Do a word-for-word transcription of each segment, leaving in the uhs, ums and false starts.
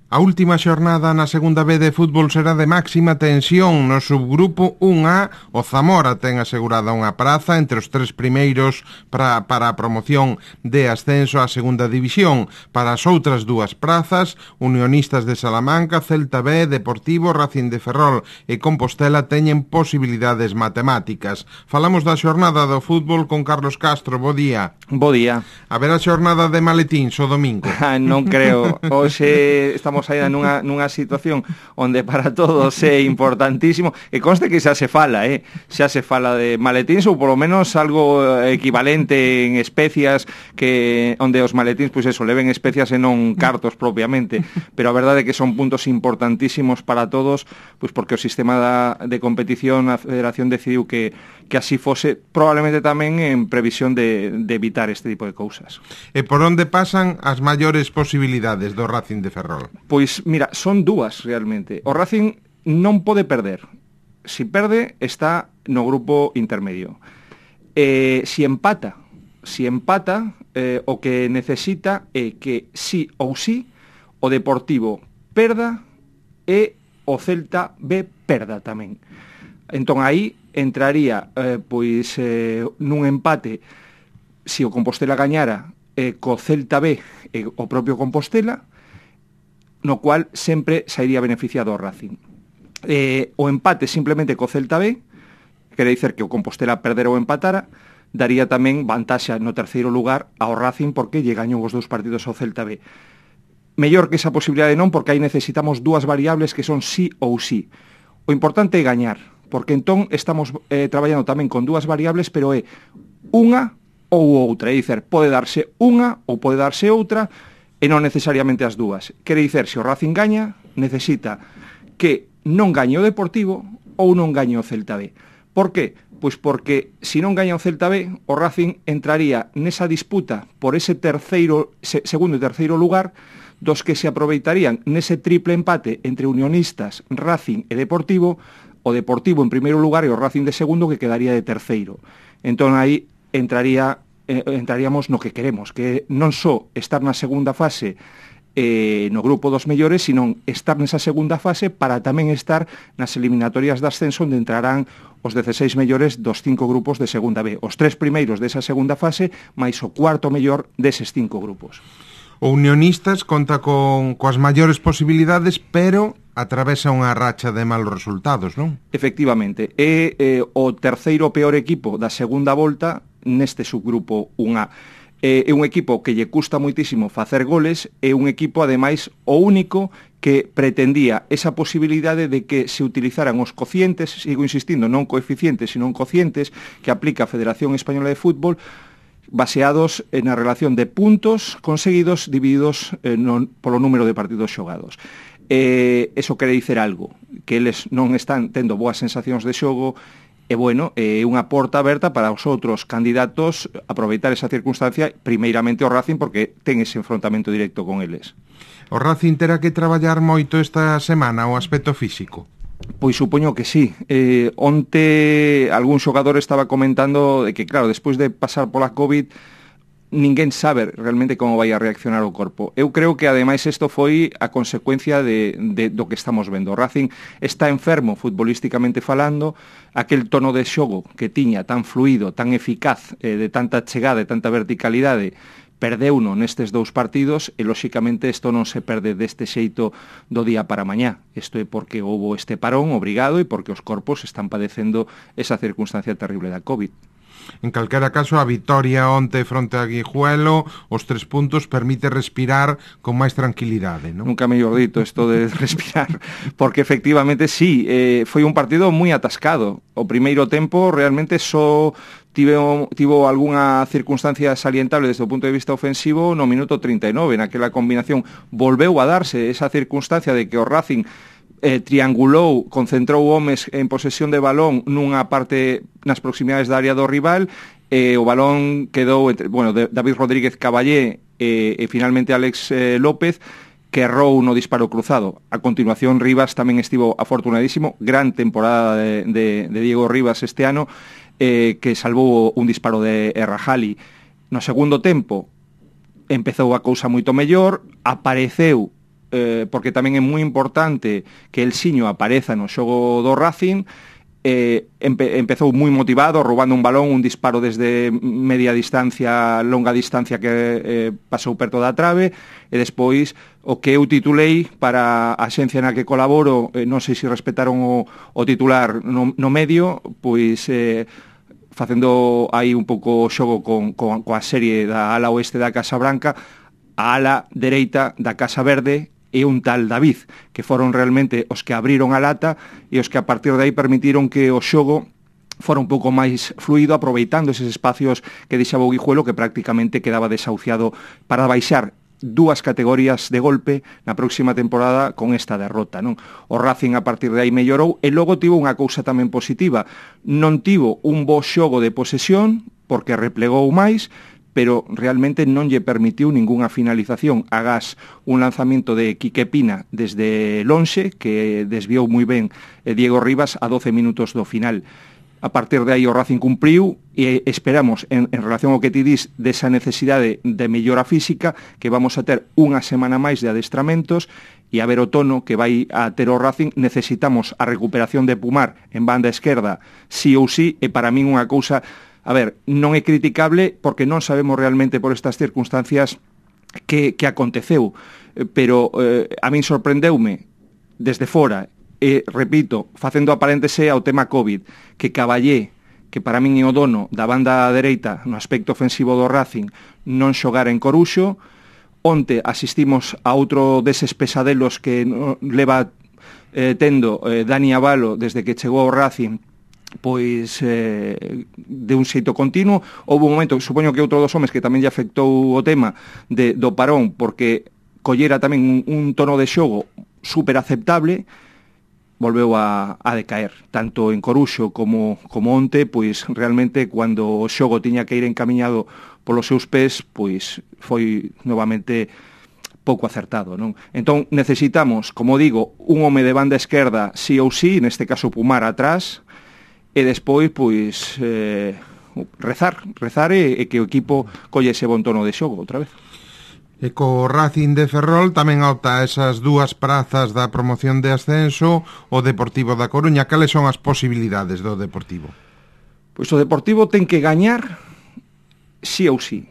A última xornada na segunda B de fútbol será de máxima tensión. No subgrupo un A, o Zamora ten asegurada unha praza entre os tres primeiros para, para a promoción de ascenso á segunda división. Para as outras dúas prazas, Unionistas de Salamanca, Celta B, Deportivo, Racing de Ferrol e Compostela teñen posibilidades matemáticas. Falamos da xornada do fútbol con Carlos Castro. Bo día. Bo día. Haberá xornada de maletíns o domingo? Non creo. Hoxe estamos aí nunha, nunha situación onde para todos é importantísimo, e conste que xa se fala, eh? xa se fala de maletíns ou polo menos algo equivalente en especias, que onde os maletíns, pois eso, leven especias e non cartos propiamente, pero a verdade é que son puntos importantísimos para todos, pois porque o sistema da, de competición, a Federación decidiu que, que así fose, probablemente tamén en previsión de, de evitar este tipo de cousas. E por onde pasan as maiores posibilidades do Racing de Ferrol? Pois, mira, son dúas realmente. O Racing non pode perder. Si perde, está no grupo intermedio. Eh, si empata, si empata, eh, o que necesita é que sí ou sí o Deportivo perda e o Celta B perda tamén. Entón aí entraría eh, pois eh, nun empate, si o Compostela gañara eh, co Celta B e o propio Compostela, no cual sempre sairía beneficiado o Racing. Eh, o empate simplemente co Celta B, quere dicer que o Compostela perdera ou empatara, daría tamén vantaxa no terceiro lugar ao Racing porque lle gañou os dous partidos ao Celta B. Mellor que esa posibilidade non, porque aí necesitamos dúas variables que son sí ou sí. O importante é gañar, porque entón estamos eh, traballando tamén con dúas variables, pero é unha ou outra, é dicer, pode darse unha ou pode darse outra, e non necesariamente as dúas. Quere dicer, se o Racing gaña, necesita que non gañe o Deportivo ou non gañe o Celta B. Por que? Pois porque se non gaña o Celta B, o Racing entraría nesa disputa por ese terceiro, segundo e terceiro lugar, dos que se aproveitarían nese triple empate entre Unionistas, Racing e Deportivo, o Deportivo en primeiro lugar e o Racing de segundo, que quedaría de terceiro. Entón aí entraría Eh, entraríamos no que queremos, que non só estar na segunda fase eh, no grupo dos mellores, sino estar nesa segunda fase para tamén estar nas eliminatorias de ascenso, onde entrarán os dezseis mellores dos cinco grupos de segunda B, os tres primeiros desa segunda fase, máis o cuarto mellor deses cinco grupos. O Unionistas conta con coas maiores posibilidades, pero atravesa unha racha de malos resultados, non? Efectivamente, é eh, o terceiro peor equipo da segunda volta neste subgrupo un A. É un equipo que lle custa moitísimo facer goles, é un equipo, ademais, o único que pretendía esa posibilidade de que se utilizaran os cocientes, sigo insistindo, non coeficientes, sino cocientes, que aplica a Federación Española de Fútbol, baseados na relación de puntos conseguidos divididos eh, non, polo número de partidos xogados. Eh, eso quere dicer algo, que eles non están tendo boas sensacións de xogo. E, bueno, é unha porta aberta para os outros candidatos aproveitar esa circunstancia, primeiramente o Racing, porque ten ese enfrontamento directo con eles. O Racing terá que traballar moito esta semana o aspecto físico? Pois supoño que sí. Eh, onte algún xogador estaba comentando de que, claro, despois de pasar pola COVID, ninguén sabe realmente como vai a reaccionar o corpo. Eu creo que, ademais, isto foi a consecuencia de, de, do que estamos vendo. O Racing está enfermo futbolísticamente falando, aquel tono de xogo que tiña tan fluido, tan eficaz, eh, de tanta chegada, de tanta verticalidade, perdeuno nestes dous partidos, e, lóxicamente, isto non se perde deste xeito do día para mañá. Isto é porque houbo este parón obrigado e porque os corpos están padecendo esa circunstancia terrible da COVID. En calquera caso, a vitoria onte fronte a Guijuelo, os tres puntos, permite respirar con máis tranquilidade, non? Nunca mellor dito isto de respirar, porque efectivamente sí, eh, foi un partido moi atascado. O primeiro tempo realmente só tivo, tivo algunha circunstancia salientable desde o punto de vista ofensivo no minuto trinta e nove, naquela combinación volveu a darse esa circunstancia de que o Racing eh, triangulou, concentrou homes en posesión de balón nunha parte nas proximidades da área do rival, e eh, o balón quedou entre, bueno, de, David Rodríguez Caballé e, e finalmente Alex eh, López, que errou no disparo cruzado. A continuación, Rivas tamén estivo afortunadísimo, gran temporada de, de, de Diego Rivas este ano, eh, que salvou un disparo de Errajali. No segundo tempo empezou a cousa moito mellor, apareceu eh, porque tamén é moi importante que el Siño apareza no xogo do Racing. Eh, empe empezou moi motivado, roubando un balón, un disparo desde media distancia, longa distancia que eh, pasou perto da trave, e despois o que eu titulei para a xencia na que colaboro, eh, non sei se respetaron o, o titular no, no medio, pois eh, facendo aí un pouco xogo con, con, coa serie da ala oeste da Casa Branca, a ala dereita da Casa Verde e un tal David, que foron realmente os que abriron a lata e os que a partir de aí permitiron que o xogo fora un pouco máis fluido, aproveitando eses espacios que deixaba o Guijuelo, que prácticamente quedaba desahuciado para baixar dúas categorías de golpe na próxima temporada con esta derrota, non? O Racing a partir de aí mellorou e logo tivo unha cousa tamén positiva. Non tivo un bo xogo de posesión, porque replegou máis, pero realmente non lle permitiu ningunha finalización. Agás un lanzamento de Quique Pina desde lonxe, que desviou moi ben Diego Rivas a doce minutos do final. A partir de aí o Racing cumpriu e esperamos, en, en relación ao que ti dis desa necesidade de mellora física, que vamos a ter unha semana máis de adestramentos e a ver o tono que vai a ter o Racing. Necesitamos a recuperación de Pumar en banda esquerda sí ou sí, e para min unha cousa, a ver, non é criticable porque non sabemos realmente por estas circunstancias que, que aconteceu, pero eh, a min sorprendeume desde fora, e repito, facendo aparéntese ao tema COVID, que Caballé, que para min é o dono da banda dereita no aspecto ofensivo do Racing, non xogara en Coruxo. Onte asistimos a outro deses pesadelos que no, leva eh, tendo eh, Dani Avalo desde que chegou ao Racing, pois eh, de un xeito continuo. Houve un momento, supoño que outro dos homes que tamén lle afectou o tema de, do parón, porque collera tamén un, un tono de xogo super aceptable, volveu a, a decaer, tanto en Coruxo como, como onte, pois realmente cando o xogo tiña que ir encamiñado polos seus pés, pois foi novamente pouco acertado, non? Entón necesitamos, como digo, un home de banda esquerda sí ou sí, neste caso Pumar atrás, e despois, pois, eh, rezar, rezar e, e que o equipo colle ese bon tono de xogo outra vez. E co Racing de Ferrol tamén opta esas dúas prazas da promoción de ascenso o Deportivo da Coruña. Cales son as posibilidades do Deportivo? Pois o Deportivo ten que gañar sí ou sí.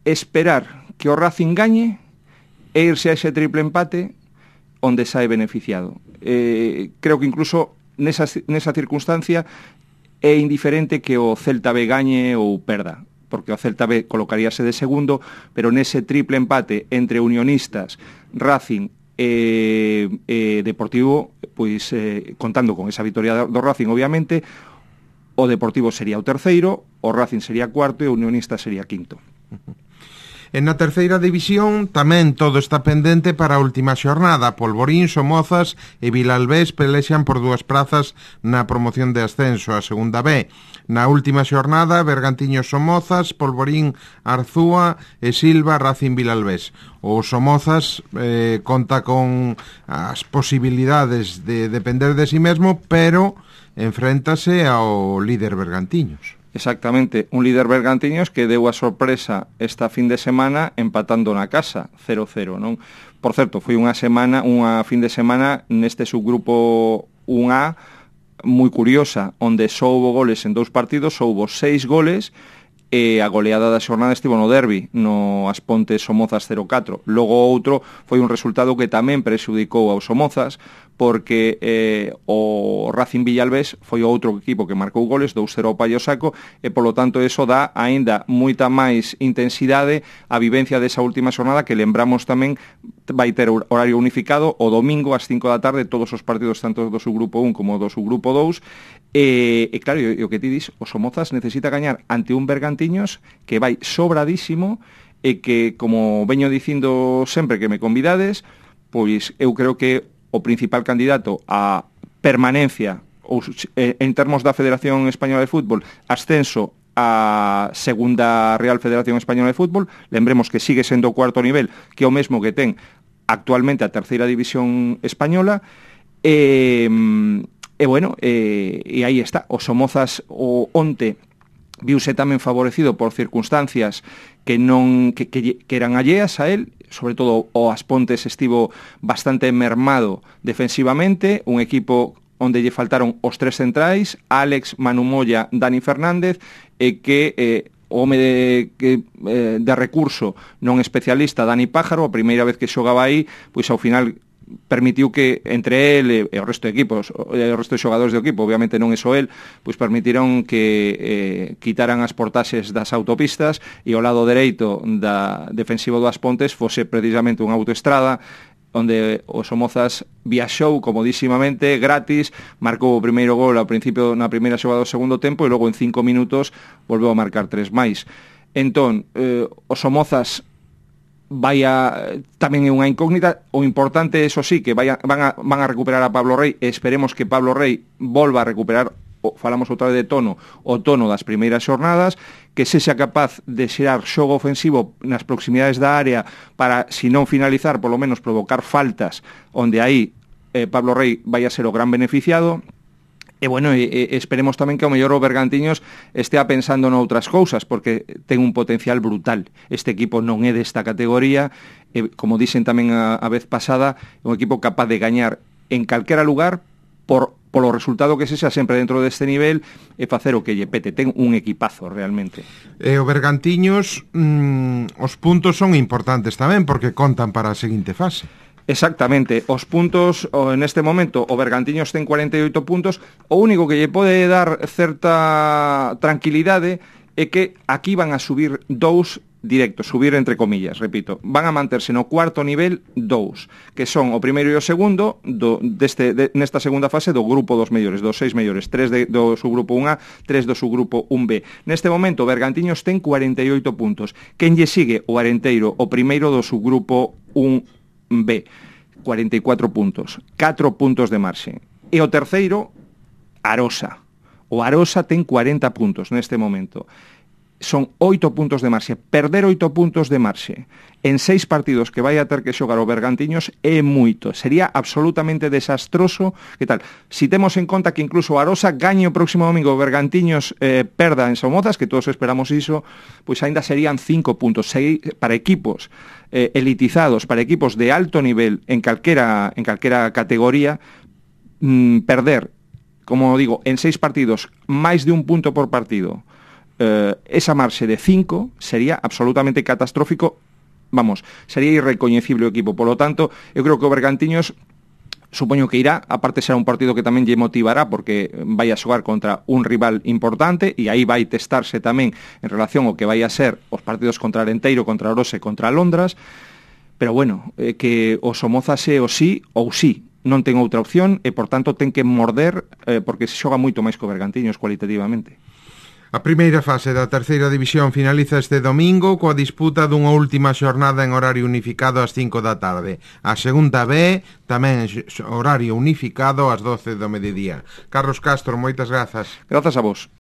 Esperar que o Racing gañe e irse a ese triple empate onde sae beneficiado. Eh, creo que incluso nesa, nesa circunstancia é indiferente que o Celta B gañe ou perda, porque o Celta B colocaríase de segundo, pero nese triple empate entre Unionistas, Racing e, e Deportivo, pois eh, contando con esa victoria do Racing, obviamente, o Deportivo sería o terceiro, o Racing sería cuarto e o Unionistas sería quinto. En na terceira división tamén todo está pendente para a última xornada. Polvorín, Somozas e Vilalbés pelexan por dúas prazas na promoción de ascenso a segunda B. Na última xornada, Bergantiños, Somozas, Polvorín, Arzúa e Silva, Racing, Vilalbés. O Somozas eh, conta con as posibilidades de depender de si mesmo, pero enfréntase ao líder Bergantiños. Exactamente, un líder Bergantiños que deu a sorpresa esta fin de semana empatando na casa, cero cero, non? Por certo, foi unha semana, unha fin de semana neste subgrupo un A moi curiosa, onde só houbo goles en dous partidos, só houbo seis goles, e a goleada da xornada estivo no derbi, no Aspontes Somozas cero catro. Logo outro foi un resultado que tamén prexudicou aos Somozas, porque eh, o Racing Villalbés foi o outro equipo que marcou goles, dous cero ao Paio Saco, e polo tanto eso dá aínda moita máis intensidade a vivencia desa última xornada, que lembramos tamén vai ter horario unificado o domingo ás cinco da tarde, todos os partidos tanto do subgrupo un como do subgrupo dous. E, e claro, e o que ti dis, o Somozas necesita gañar ante un Bergantiños que vai sobradísimo e que, como veño dicindo sempre que me convidades, pois eu creo que o principal candidato a permanencia ou, en termos da Federación Española de Fútbol, ascenso a segunda Real Federación Española de Fútbol, lembremos que sigue sendo o cuarto nivel, que é o mesmo que ten actualmente a terceira división española, e... E bueno, e, e aí está, o Somozas o onte viuse tamén favorecido por circunstancias que non que, que, que eran alleas a él, sobre todo o As Pontes estivo bastante mermado defensivamente, un equipo onde lle faltaron os tres centrais, Álex, Manu Moya, Dani Fernández, e que eh, o home de, que, eh, de recurso non especialista, Dani Pájaro, a primeira vez que xogaba aí, pois ao final permitiu que entre el e o resto de equipos, o resto de xogadores do equipo, obviamente non é só el, pois permitiron que eh, quitaran as portaxes das autopistas e o lado dereito da defensivo das Pontes fose precisamente unha autoestrada onde o Somozas viaxou comodísimamente, gratis, marcou o primeiro gol ao principio na primeira xogada do segundo tempo e logo en cinco minutos volveu a marcar tres máis. Entón, eh, o Somozas vai a, tamén é unha incógnita. O importante, eso sí, que vai a, van, a, van a recuperar a Pablo Rey, e esperemos que Pablo Rey volva a recuperar, o, falamos outra vez de tono, o tono das primeiras xornadas, que sexa capaz de xerar xogo ofensivo nas proximidades da área para, si non finalizar, polo menos provocar faltas, onde aí eh, Pablo Rey vai a ser o gran beneficiado. E, bueno, e, e esperemos tamén que ao mellor o Bergantiños estea pensando noutras cousas, porque ten un potencial brutal. Este equipo non é desta categoría, e, como dixen tamén a, a vez pasada, é un equipo capaz de gañar en calquera lugar por polo resultado que sexa sempre dentro deste nivel e facer o que lle pete. Ten un equipazo realmente. E o Bergantiños, mm, os puntos son importantes tamén, porque contan para a seguinte fase. Exactamente, os puntos en este momento, o Bergantiños ten cuarenta e oito puntos, o único que lle pode dar certa tranquilidade é que aquí van a subir dous directos, subir entre comillas, repito, van a manterse no cuarto nivel dous, que son o primeiro e o segundo do, deste, de, nesta segunda fase do grupo dos mellores, dos seis mellores, tres de, do subgrupo un A, tres do subgrupo un B. Neste momento, Bergantiños ten cuarenta e oito puntos. Quen lle sigue? O Arenteiro, o primeiro do subgrupo un B, cuarenta e catro puntos, catro puntos de marxe. E o terceiro, Arosa. O Arosa ten cuarenta puntos neste momento. Son oito puntos de marxe. Perder oito puntos de marxe en seis partidos que vai a ter que xogar o Bergantiños é moito. Sería absolutamente desastroso. Que tal? Si temos en conta que incluso o Arosa gañe o próximo domingo, o Bergantiños eh, perda en Somozas, que todos esperamos iso, pois aínda serían cinco puntos. Seis para equipos eh, elitizados, para equipos de alto nivel en calquera, en calquera categoría, mmm, perder, como digo, en seis partidos máis de un punto por partido, eh, esa marxe de cinco sería absolutamente catastrófico. Vamos, sería irrecoñecible o equipo. Por lo tanto, eu creo que o Bergantiños supoño que irá, aparte será un partido que tamén lle motivará porque vai a xogar contra un rival importante e aí vai testarse tamén en relación ao que vai a ser os partidos contra Arenteiro, contra Orose, contra Londras. Pero bueno, eh, que o Somozas é o sí ou sí, non ten outra opción e por tanto ten que morder eh, porque se xoga moito máis que o Bergantiños cualitativamente. A primeira fase da terceira división finaliza este domingo coa disputa dunha última xornada en horario unificado ás cinco da tarde. A segunda B tamén horario unificado ás doce do mediodía. Carlos Castro, moitas grazas. Grazas a vos.